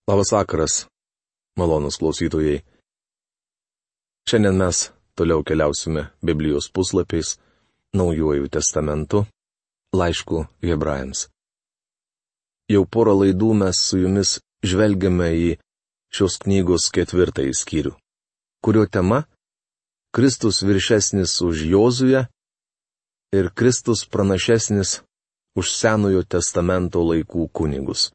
Labas vakaras, malonūs klausytojai. Šiandien mes toliau keliausime Biblijos puslapiais, Naujuoju testamentu, laišku Hebrajams. Jau porą laidų mes su jumis žvelgiame į šios knygos 4 skyrių, kurio tema - Kristus viršesnis už Jozuę ir Kristus pranašesnis už Senojo testamento laikų kunigus.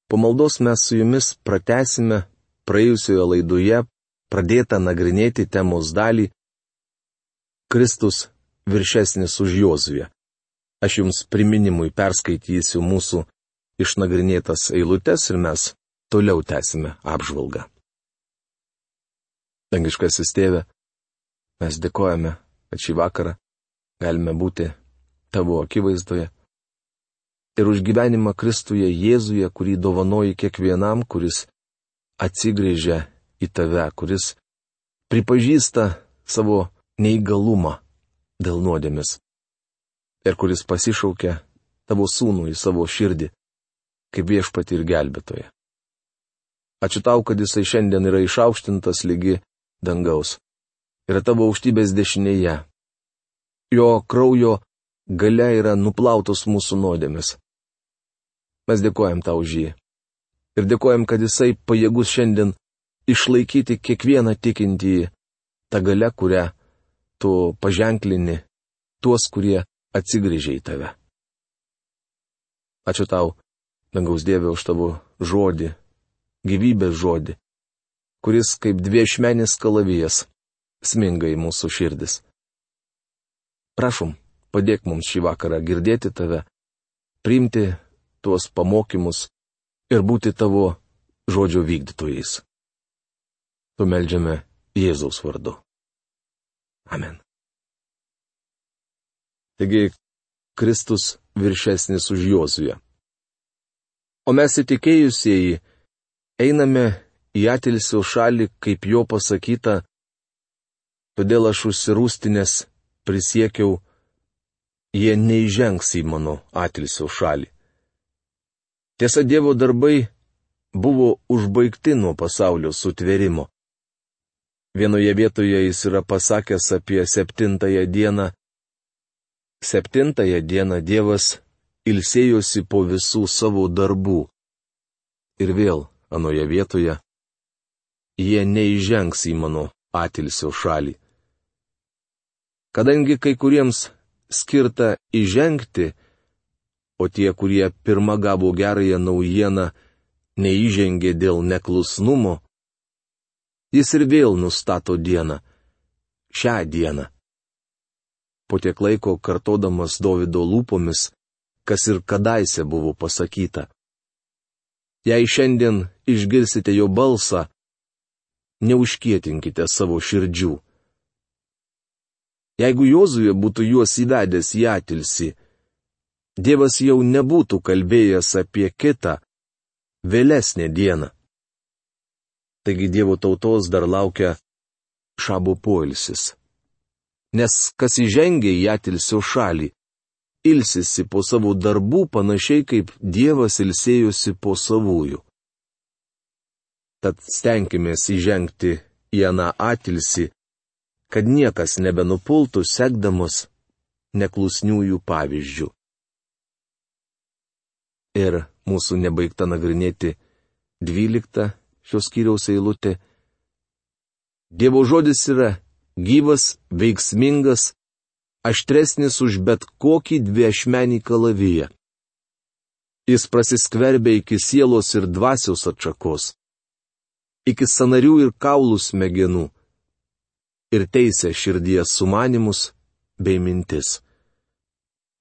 Po maldos mes su jumis pratęsime praėjusioje laidoje pradėtą nagrinėti temos dalį Kristus viršesnis už Jozuę. Aš jums priminimui perskaitysiu mūsų išnagrinėtas eilutes ir mes toliau tęsime apžvalgą. Dangiškasis Tėve, mes dėkojame, kad šį vakarą galime būti tavo akivaizdoje. Ir už gyvenimą Kristuje Jėzuje, kurį dovanoji kiekvienam, kuris atsigrėžia į tave, kuris pripažįsta savo neįgalumą dėl nuodėmės ir kuris pasišaukia tavo sūnų į savo širdį, kaip viešpatį ir gelbėtoją. Ačiū tau, kad jisai šiandien yra išaukštintas lygi dangaus, yra tavo aukštybės dešinėje. Jo kraujo galia yra nuplautos mūsų nuodėmės. Mes dėkojam tau už jį. Ir dėkojam, kad jisai pajėgus šiandien išlaikyti kiekvieną tikintįjį tą galę, kurią tu paženklini tuos, kurie atsigrįžia į tave. Ačiū tau, dangaus Dieve, už tavo žodį, gyvybės žodį, kuris kaip dviešmenis kalavijas sminga į mūsų širdis. Prašom, padėk mums šį vakarą girdėti tave, priimti tuos pamokymus ir būti tavo žodžio vykdytojais. Tu meldžiame Jėzaus vardu. Amen. Taigi, Kristus viršesnis už Jozuę. O mes įtikėjusieji einame į atilsio šalį, kaip jo pasakyta, todėl aš užsirūstinęs prisiekiau, jie neįžengs į mano atilsio šalį. Tiesa, Dievo darbai buvo užbaigti nuo pasaulio sutvėrimo. Vienoje vietoje jis yra pasakęs apie 7 dieną. 7 dieną Dievas ilsėjosi po visų savo darbų. Ir vėl anoje vietoje jie neįžengs į mano atilsio šalį. Kadangi kai kuriems skirta įžengti, o tie, kurie pirma gavo gerąją naujieną, neįžengė dėl neklusnumo, jis ir vėl nustato dieną, šią dieną. Po tiek laiko kartodamas Dovydo lūpomis, kas ir kadaise buvo pasakyta. Jei šiandien išgirsite jo balsą, neužkietinkite savo širdžių. Jeigu Jozuė būtų juos įvedęs į atilsį, Dievas jau nebūtų kalbėjęs apie kitą, vėlesnę dieną. Taigi Dievo tautos dar laukia šabo poilsis. Nes kas įžengia į atilsio šalį, ilsisi po savo darbų panašiai kaip Dievas ilsėjosi po savųjų. Tad stenkimės įžengti į aną atilsį, kad niekas nebenupultų sekdamas neklusniųjų pavyzdžių. Ir mūsų nebaigta nagrinėti 12 šios skyriaus eilutė. Dievo žodis yra gyvas, veiksmingas, aštresnis už bet kokį dviešmenį kalaviją. Jis prasiskverbia iki sielos ir dvasios atšakos, iki sąnarių ir kaulų smegenų, ir teisia širdies sumanimus bei mintis.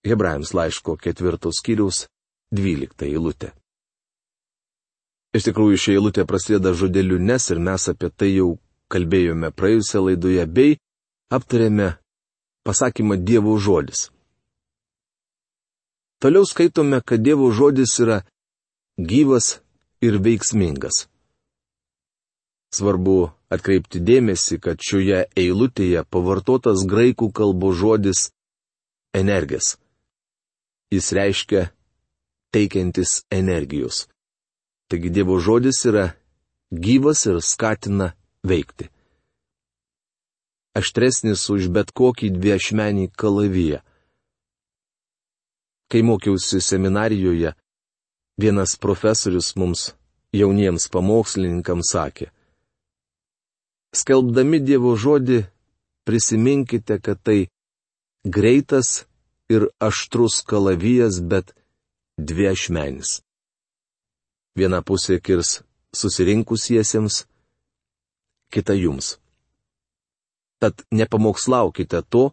Hebrajams laiško 4 skyriaus 12 eilutė. Iš tikrųjų, ši eilutė prasideda žodeliu nes ir mes apie tai jau kalbėjome praėjusią laidoje bei aptarėme pasakymą Dievo žodis. Toliau skaitome, kad Dievo žodis yra gyvas ir veiksmingas. Svarbu atkreipti dėmesį, kad šioje eilutėje pavartotas graikų kalbos žodis energijas. Jis reiškia teikiantis energijos. Taigi Dievo žodis yra gyvas ir skatina veikti. Aštresnis už bet kokį dviašmenį kalaviją. Kai mokiausi seminarijoje, vienas profesorius mums, jauniems pamokslininkams, sakė: skelbdami Dievo žodį, prisiminkite, kad tai greitas ir aštrus kalavijas, bet dviašmenis. Viena pusė kirs susirinkusiesiems, kita jums. Tad nepamokslaukite to,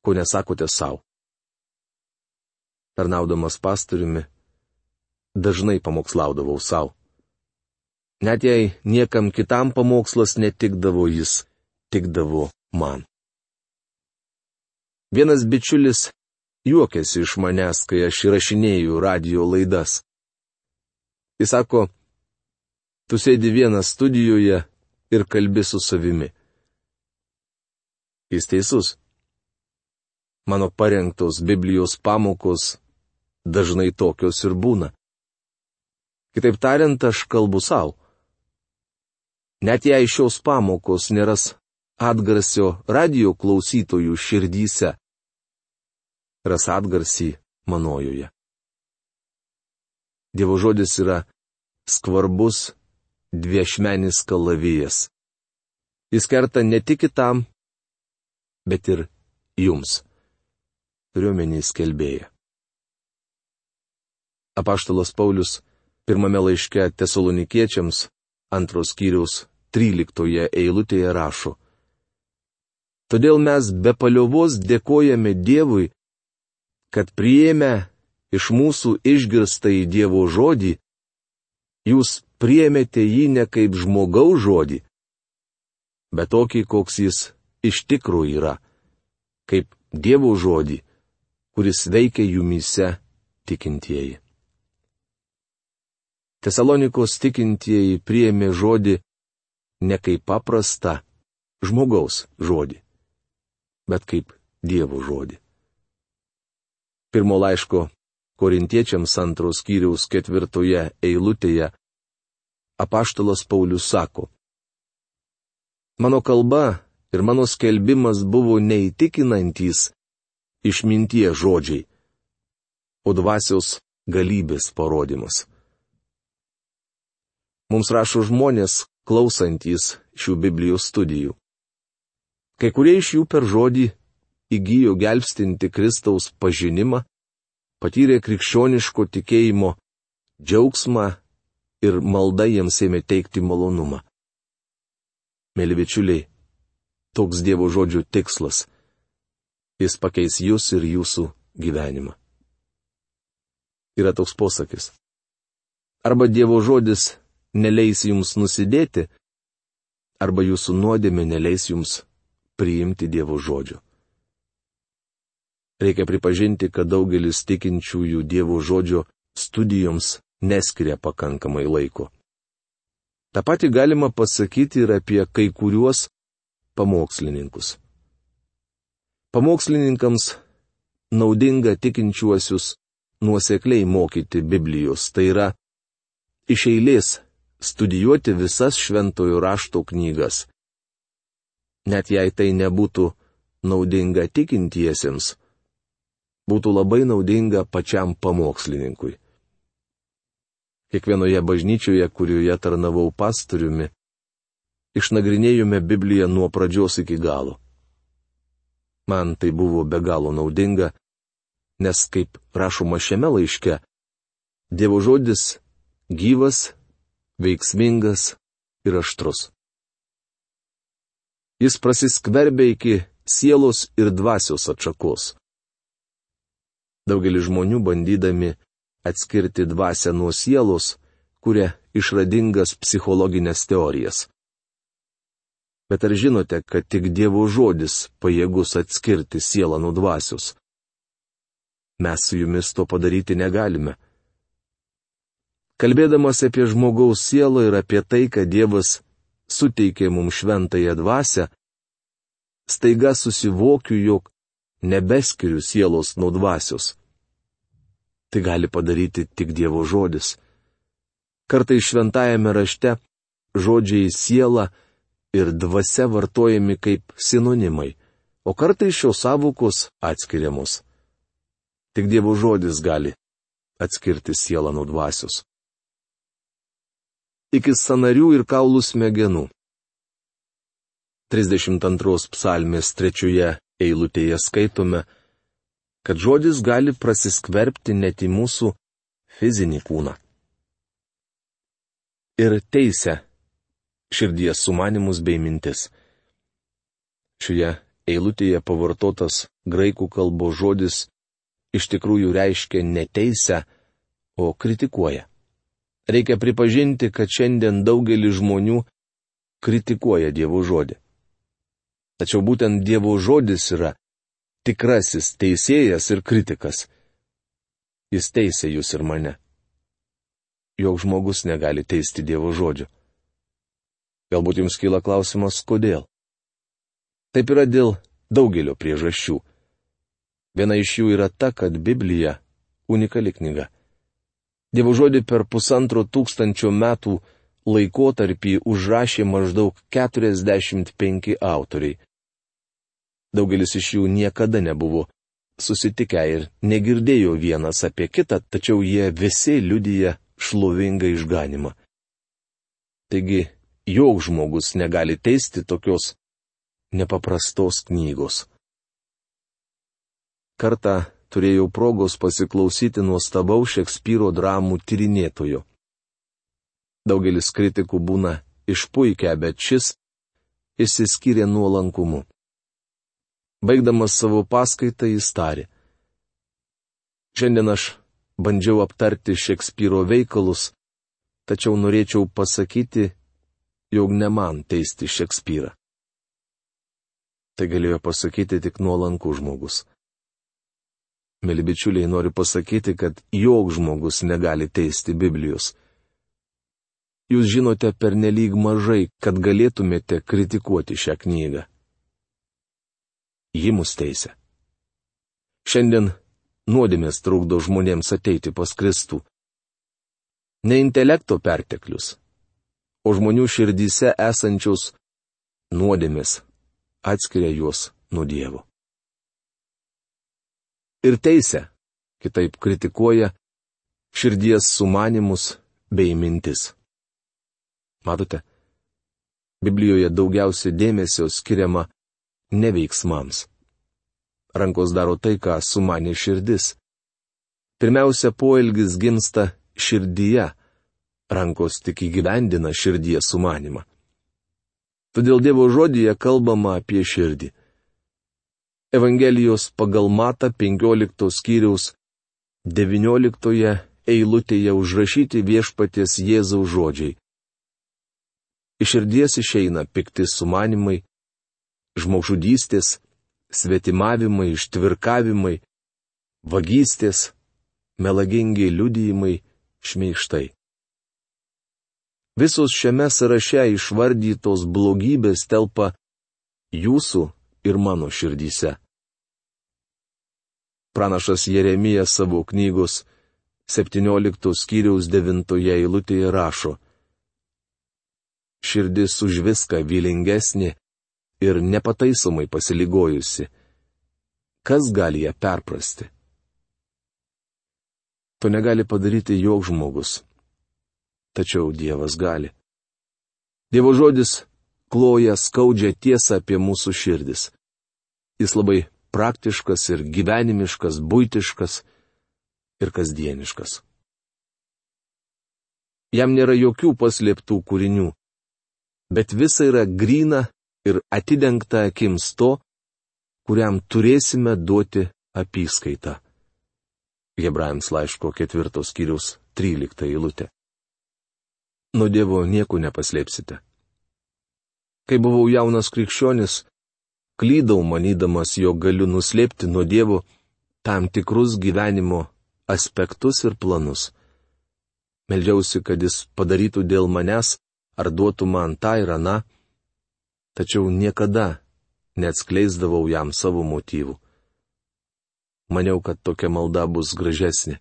ko nesakote savo. Tarnaudamas pastoriumi, dažnai pamokslaudavau savo. Net jei niekam kitam pamokslas netikdavo, jis tikdavo man. Vienas bičiulis juokėsi iš manęs, kai aš įrašinėjau radio laidas. Jis sako: tu sėdi vienas studijoje ir kalbi su savimi. Jis teisus. Mano parengtos Biblijos pamokos dažnai tokios ir būna. Kitaip tariant, aš kalbu savo. Net jei šios pamokos neras atgarsio radio klausytojų širdyse, ras atgarsį manojoje. Dievo žodis yra skvarbus dviašmenis kalavijas. Jis kerta ne tik kitam, bet ir jums, turiuomenį skelbėją. Apaštalas Paulius pirmame laiške Tesalonikiečiams 2 skyriaus 13 eilutėje rašo: todėl mes be paliovos dėkojame Dievui, kad priėmę iš mūsų išgirstąjį Dievo žodį, jūs priėmėte jį ne kaip žmogaus žodį, bet tokį, koks jis iš tikrųjų yra, kaip Dievo žodį, kuris veikia jumyse tikintieji. Tesalonikos tikintieji priėmė žodį ne kaip paprastą žmogaus žodį, bet kaip Dievo žodį. Pirmo laiško Korintiečiams 2 skyriaus 4 eilutėje apaštalas Paulius sako: mano kalba ir mano skelbimas buvo neįtikinantys išminties žodžiai, o dvasios galybės parodymas. Mums rašo žmonės, klausantys šių Biblijos studijų. Kai kurie iš jų per žodį įgijo gelbstinti Kristaus pažinimą, patyrė krikščioniško tikėjimo džiaugsmą ir malda jiems ėmė teikti malonumą. Mėly bičiuliai, toks Dievo žodžių tikslas. Jis pakeis jūs ir jūsų gyvenimą. Yra toks posakis: arba Dievo žodis neleis jums nusidėti, arba jūsų nuodėmė neleis jums priimti Dievo žodžio. Reikia pripažinti, kad daugelis tikinčiųjų Dievo žodžio studijoms neskiria pakankamai laiko. Ta pati galima pasakyti ir apie kai kuriuos pamokslininkus. Pamokslininkams naudinga tikinčiuosius nuosekliai mokyti Biblijos, tai yra iš eilės studijuoti visas šventojo rašto knygas. Net jei tai nebūtų naudinga tikintiesiems, būtų labai naudinga pačiam pamokslininkui. Kiekvienoje bažnyčioje, kurioje tarnavau pastoriumi, išnagrinėjome Bibliją nuo pradžios iki galo. Man tai buvo be galo naudinga, nes, kaip rašoma šiame laiške, Dievo žodis gyvas, veiksmingas ir aštrus. Jis prasiskverbia iki sielos ir dvasios atšakos. Daugelis žmonių, bandydami atskirti dvasią nuo sielos, kuria išradingas psichologinės teorijas. Bet ar žinote, kad tik Dievo žodis pajėgus atskirti sielą nuo dvasios? Mes su jumis to padaryti negalime. Kalbėdamas apie žmogaus sielą ir apie tai, kad Dievas suteikė mums šventąją dvasią, staiga susivokiu, jog nebeskiriu sielos nuo dvasios. Tai gali padaryti tik Dievo žodis. Kartais šventajame rašte žodžiai siela ir dvasia vartojami kaip sinonimai, o kartais šios sąvokos atskiriamos. Tik Dievo žodis gali atskirti sielą nuo dvasios. Iki sąnarių ir kaulų smegenų. 32 psalmės 3 eilutėje skaitome, kad žodis gali prasiskverbti net į mūsų fizinį kūną. Ir teisia širdies sumanimus bei mintis. Šioje eilutėje pavartotas graikų kalbos žodis iš tikrųjų reiškia ne teisę, o kritikuoja. Reikia pripažinti, kad šiandien daugelis žmonių kritikuoja Dievo žodį. Tačiau būtent Dievo žodis yra tikrasis teisėjas ir kritikas. Jis teisia jūs ir mane. Joks žmogus negali teisti Dievo žodžio. Galbūt jums kyla klausimas, kodėl? Taip yra dėl daugelio priežasčių. Viena iš jų yra ta, kad Biblija unikali knyga. Dievo žodį per 1500 metų laikotarpį užrašė maždaug 45 autoriai. Daugelis iš jų niekada nebuvo susitikę ir negirdėjo vienas apie kitą, tačiau jie visi liudija šlovingą išganimą. Taigi, joks žmogus negali teisti tokios nepaprastos knygos. Kartą turėjau progos pasiklausyti nuostabaus Šekspyro dramų tyrinėtojo. Daugelis kritikų būna išpuikę, bet šis išsiskyrė nuolankumu. Baigdamas savo paskaitą jis tarė: šiandien aš bandžiau aptarti Šekspyro veikalus, tačiau norėčiau pasakyti, jog ne man teisti Šekspyrą. Tai galėjo pasakyti tik nuolankus žmogus. Mėly bičiuliai, noriu pasakyti, kad joks žmogus negali teisti Biblijos. Jūs žinote pernelyg mažai, kad galėtumėte kritikuoti šią knygą. Ji mus teisia. Šiandien nuodėmės trukdo žmonėms ateiti pas Kristų. Ne intelekto perteklius, o žmonių širdyse esančios nuodėmės atskiria juos nuo Dievo. Ir teisia, kitaip kritikuoja, širdies sumanimus bei mintis. Matote, Biblijoje daugiausia dėmesio skiriama ne veiksmams. Rankos daro tai, ką sumanė širdis. Pirmiausia, poelgis gimsta širdyje, rankos tik įgyvendina širdies sumanimą. Todėl Dievo žodyje kalbama apie širdį. Evangelijos pagal Matą 15 skyriaus 19 eilutėje užrašyti Viešpaties Jėzaus žodžiai. Iš širdies išeina pikti sumanimai, žmogžudystės, svetimavimai, ištvirkavimai, vagystės, melagingi liudijimai, šmeižtai. Visos šiame sąraše išvardytos blogybės telpa jūsų ir mano širdyse. Pranašas Jeremijas savo knygos 17 skyriaus 9 eilutėje rašo: širdis už viską vylingesnė ir nepataisomai pasiligojusi. Kas gali ją perprasti? To negali padaryti joks žmogus. Tačiau Dievas gali. Dievo žodis kloja skaudžią tiesą apie mūsų širdis. Jis labai praktiškas ir gyvenimiškas, buitiškas ir kasdieniškas. Jam nėra jokių paslėptų kūrinių, bet visa yra gryna ir atidengta akims to, kuriam turėsime duoti apyskaitą. Hebrajams laiško 4 skyriaus 13 eilutė. Nuo Dievo nieko nepaslėpsite. Kai buvau jaunas krikščionis, klydau manydamas, jog galiu nuslėpti nuo Dievo tam tikrus gyvenimo aspektus ir planus. Meldžiausi, kad jis padarytų dėl manęs ar duotų man tą ir aną, tačiau niekada neatskleisdavau jam savo motyvų. Maniau, kad tokia malda bus gražesnė.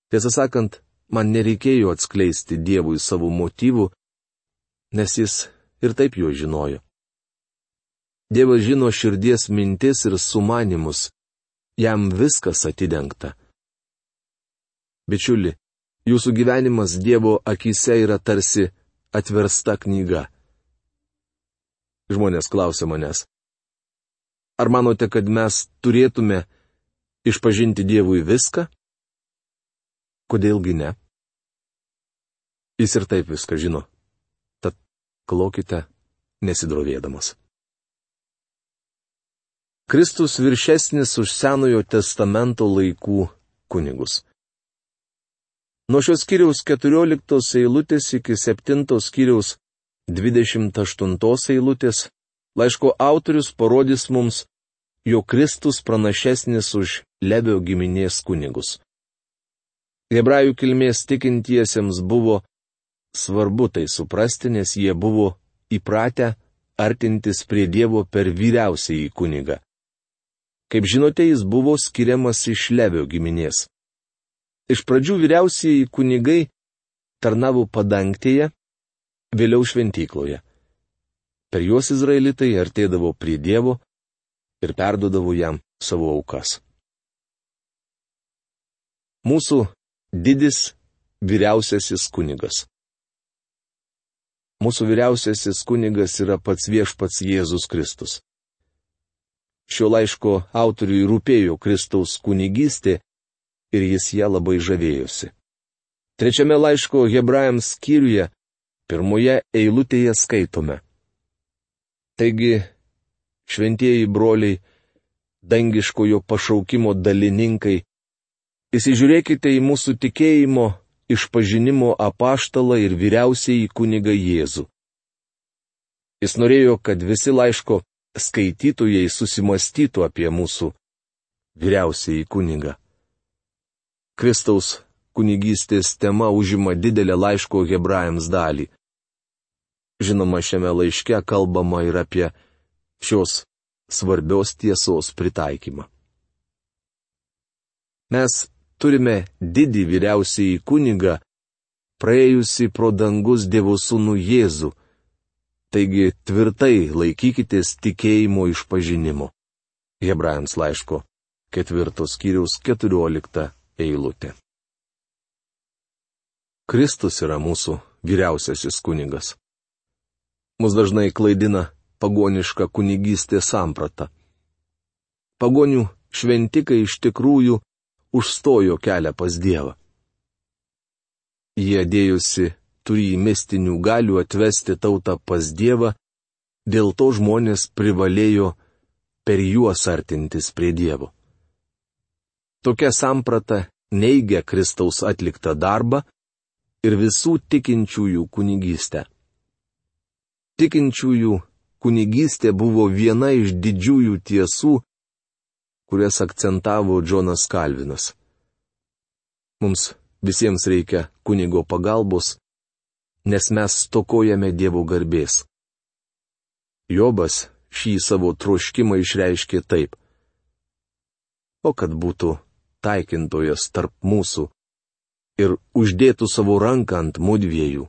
Tiesą sakant, man nereikėjo atskleisti Dievui savo motyvų, nes jis ir taip jo žinojo. Dievas žino širdies mintis ir sumanimus, jam viskas atidengta. Bičiuli, jūsų gyvenimas Dievo akyse yra tarsi atversta knyga. Žmonės klausia manęs, ar manote, kad mes turėtume išpažinti Dievui viską? Kodėlgi ne? Jis ir taip viską žino. Tad klaukite nesidrovėdamas. Kristus viršesnis už Senojo testamento laikų kunigus. Nuo šios skyriaus 14 eilutės iki 7 skyriaus 28 eilutės laiško autorius parodys mums, jog Kristus pranašesnis už Levio giminės kunigus. Hebrajų kilmės tikintiesiems buvo svarbu tai suprasti, nes jie buvo įpratę artintis prie Dievo per vyriausiąjį kunigą. Kaip žinote, jis buvo skiriamas iš Levio giminės. Iš pradžių vyriausieji kunigai tarnavo padangtėje, vėliau šventykloje. Per juos izraelitai artėdavo prie Dievo ir perduodavo jam savo aukas. Mūsų didis vyriausiasis kunigas. Mūsų vyriausiasis kunigas yra pats viešpats Jėzus Kristus. Šio laiško autoriui rūpėjo Kristaus kunigystė ir jis ją labai žavėjosi. 3 laiško Hebrajams skyriuje, 1 eilutėje skaitome. Taigi, šventieji broliai, dangiškojo pašaukimo dalininkai, įsižiūrėkite į mūsų tikėjimo, išpažinimo apaštalą ir vyriausiąjį kunigą Jėzų. Jis norėjo, kad visi laiško skaitytojai susimąstytų apie mūsų vyriausiąjį kunigą. Kristaus kunigystės tema užima didelę laiško Hebrajams dalį. Žinoma, šiame laiške kalbama ir apie šios svarbios tiesos pritaikymą. Mes turime didį vyriausiąjį kunigą, praėjusi pro dangus Dievo sūnų Jėzų. Taigi tvirtai laikykitės tikėjimo išpažinimo. Hebrajams laiško 4 skyriaus 14 eilutė. Kristus yra mūsų vyriausiasis kunigas. Mus dažnai klaidina pagoniška kunigystės samprata. Pagonių šventikai iš tikrųjų užstojo kelią pas Dievą. Jie dėjusi turį mistinių galių atvesti tautą pas Dievą, dėl to žmonės privalėjo per juos artintis prie Dievo. Tokia samprata neigia Kristaus atliktą darbą ir visų tikinčiųjų kunigystę. Tikinčiųjų kunigystė buvo viena iš didžiųjų tiesų, kurias akcentavo Džonas Kalvinas. Mums visiems reikia kunigo pagalbos, nes mes stokojame Dievo garbės. Jobas šį savo troškimą išreiškė taip. O kad būtų taikintojas tarp mūsų ir uždėtų savo ranką ant mudviejų,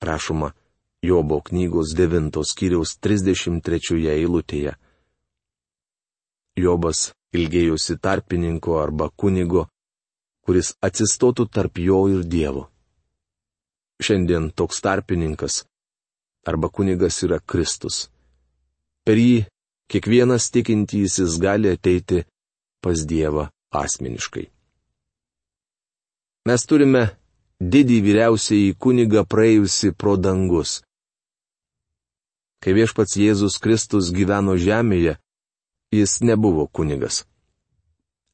rašoma Jobo knygos 9 skyriaus 33 eilutėje. Jobas ilgėjosi tarpininko arba kunigo, kuris atsistotų tarp jo ir Dievo. Šiandien toks tarpininkas arba kunigas yra Kristus. Per jį kiekvienas tikintysis gali ateiti pas Dievą asmeniškai. Mes turime didį vyriausiąjį kunigą praėjusi pro dangus. Kai viešpats Jėzus Kristus gyveno žemėje, jis nebuvo kunigas.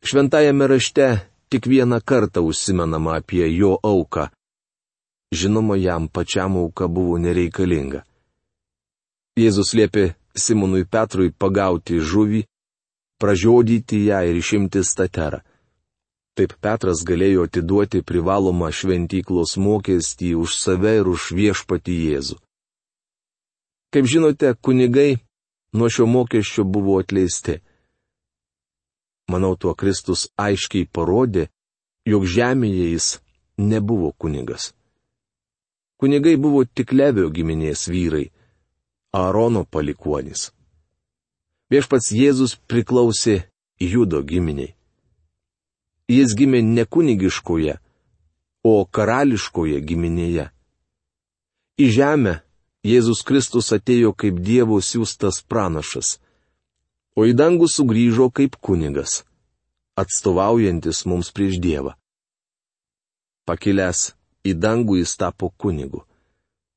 Šventajame rašte tik vieną kartą užsimenama apie jo auką. Žinoma, jam pačiam auka buvo nereikalinga. Jėzus liepė Simonui Petrui pagauti žuvį, pražiodyti ją ir išimti staterą. Taip Petras galėjo atiduoti privalomą šventyklos mokestį už save ir už viešpatį Jėzų. Kaip žinote, kunigai nuo šio mokesčio buvo atleisti. Manau, tuo Kristus aiškiai parodė, jog žemėje jis nebuvo kunigas. Kunigai buvo tik Levio giminės vyrai, Aarono palikuonys. Viešpats Jėzus priklausė Judo giminiai. Jis gimė ne kunigiškoje, o karališkoje giminėje. Į žemę Jėzus Kristus atėjo kaip Dievo siųstas pranašas, o į dangų sugrįžo kaip kunigas, atstovaujantis mums prieš Dievą. Pakilęs į dangų jis tapo kunigu.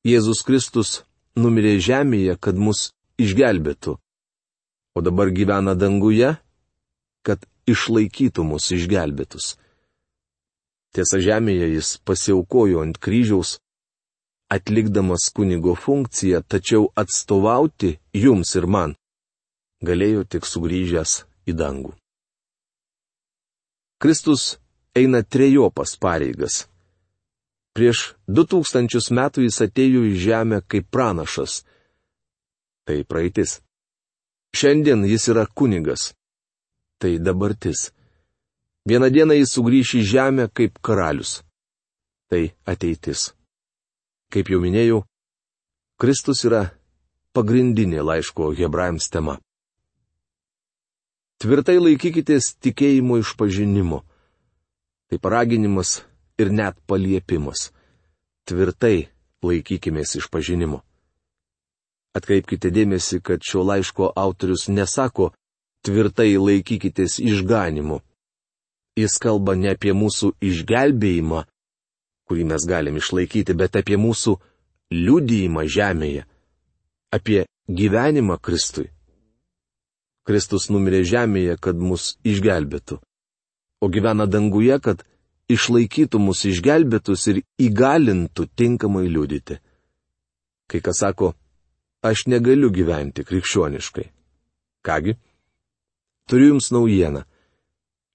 Jėzus Kristus numirė žemėje, kad mus išgelbėtų, o dabar gyvena danguje, kad išlaikytų mus išgelbėtus. Tiesa, žemėje jis pasiaukojo ant kryžiaus, atlikdamas kunigo funkciją, tačiau atstovauti jums ir man galėjo tik sugrįžęs į dangų. Kristus eina trejopas pareigas. Prieš 2000 metų jis atėjo į žemę kaip pranašas. Tai praeitis. Šiandien jis yra kunigas. Tai dabartis. Vieną dieną jis sugrįš į žemę kaip karalius. Tai ateitis. Kaip jau minėjau, Kristus yra pagrindinė laiško Hebrajams tema. Tvirtai laikykitės tikėjimo išpažinimo. Tai paraginimas ir net paliepimas. Tvirtai laikykimės išpažinimo. Atkreipkite dėmesį, kad šio laiško autorius nesako tvirtai laikykitės išganymu. Jis kalba ne apie mūsų išgelbėjimą, kurį mes galim išlaikyti, bet apie mūsų liudijimą žemėje, apie gyvenimą Kristui. Kristus numirė žemėje, kad mus išgelbėtų, o gyvena danguje, kad išlaikytų mus išgelbėtus ir įgalintų tinkamai liudyti. Kai kas sako, aš negaliu gyventi krikščioniškai. Kągi? Turiu jums naujieną.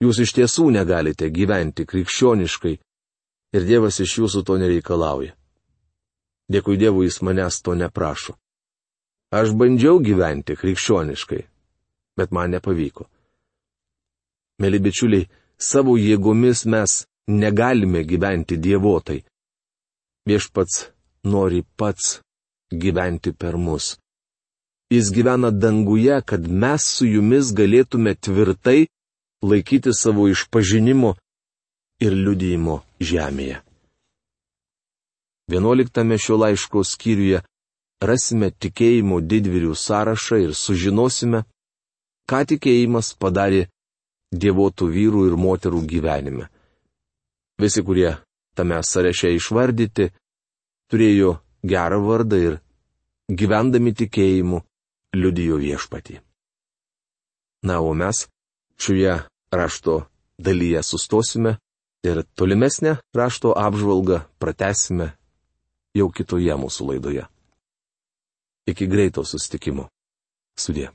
Jūs iš tiesų negalite gyventi krikščioniškai ir Dievas iš jūsų to nereikalauja. Dėkui Dievui, jis manęs to neprašo. Aš bandžiau gyventi krikščioniškai, bet man nepavyko. Mėly bičiuliai, savo jėgomis mes negalime gyventi dievotai. Viešpats nori pats gyventi per mus. Jis gyvena danguje, kad mes su jumis galėtume tvirtai laikyti savo išpažinimo ir liudijimo žemėje. 11 šio laiško skyriuje rasime tikėjimo didvyrių sąrašą ir sužinosime, ką tikėjimas padarė dievotų vyrų ir moterų gyvenime. Visi, kurie tame sąraše išvardyti, turėjo gerą vardą ir gyvendami tikėjimu liudijo viešpatį. Na, o mes šioje rašto dalyje sustosime ir tolimesnę rašto apžvalgą pratęsime jau kitoje mūsų laidoje. Iki greito susitikimo. Sudie.